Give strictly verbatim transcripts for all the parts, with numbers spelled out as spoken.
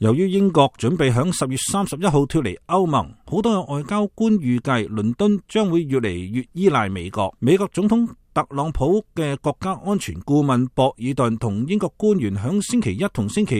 由於英國準備響十月三十一號脫離歐盟，好多嘅外交官預計倫敦將會越嚟越依賴美國。美國總統特朗普嘅國家安全顧問博爾頓同英國官員響星期一同星期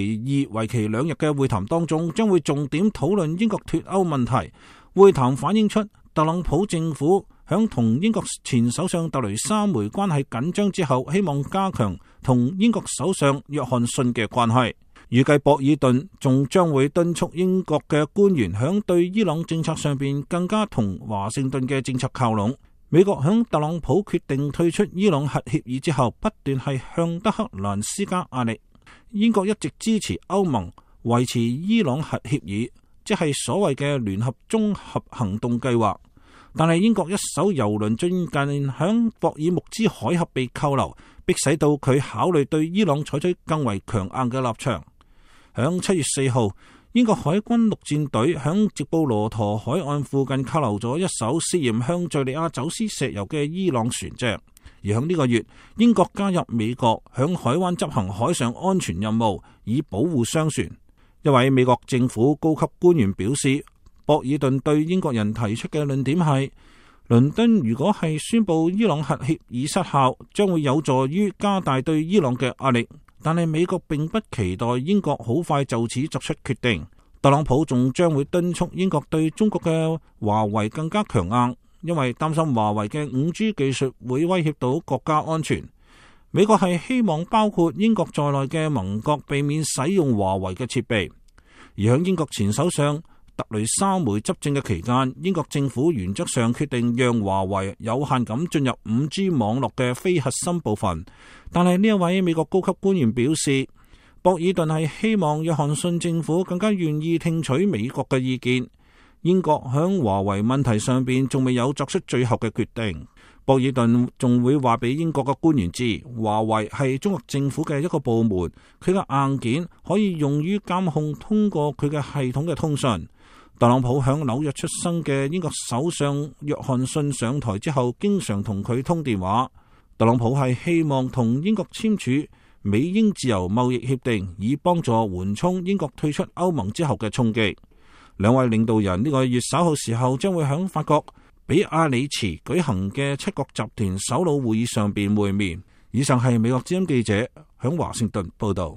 二為期兩日嘅會談當中，將會重點討論英國脫歐問題。會談反映出特朗普政府響同英國前首相特雷莎梅關係緊張之後，希望加強同英國首相約翰遜嘅關係。預計博爾頓仲將會敦促英國嘅官員響對伊朗政策上邊更加同華盛頓嘅政策靠攏。美國響特朗普決定退出伊朗核協議之後，不斷係向德黑蘭施加壓力。英國一直支持歐盟維持伊朗核協議，即係所謂嘅聯合綜合行動計劃。但係英國一艘油輪最近響博爾木茲海峽被扣留，迫使到佢考慮對伊朗採取更為強硬嘅立場。響七月四號，英國海軍陸戰隊響直布羅陀海岸附近扣留咗一艘涉嫌向敘利亞走私石油嘅伊朗船隻。而響呢個月，英國加入美國響海灣執行海上安全任務，以保護商船。一位美國政府高級官員表示，博爾頓對英國人提出嘅論點係，倫敦如果係宣布伊朗核協議失效，將會有助於加大對伊朗嘅壓力。但係美國並不期待英國好快就此作出決定。特朗普仲將會敦促英國對中國嘅華為更加強硬，因為擔心華為嘅五 G 技術會威脅到國家安全。美國係希望包括英國在內嘅盟國避免使用華為嘅設備。而喺英國前首相特雷莎梅執政嘅期間，英國政府原則上決定讓華為有限咁進入五 G 網絡嘅非核心部分。但係呢一位美國高級官員表示，博爾頓係希望約翰遜政府更加願意聽取美國嘅意見。英國響華為問題上邊仲未有作出最後嘅決定。博爾頓仲會話俾英國嘅官員知，華為係中國政府嘅一個部門，佢嘅硬件可以用於監控通過佢嘅系統嘅通訊。特朗普響紐約出生嘅英國首相約翰遜上台之後，經常同佢通電話。特朗普係希望同英國簽署美英自由貿易協定，以幫助緩衝英國退出歐盟之後嘅衝擊。兩位領導人呢個月稍後時候將會響法國比亞里茨舉行嘅七國集團首腦會議上邊會面。以上係美國之音記者響華盛頓報道。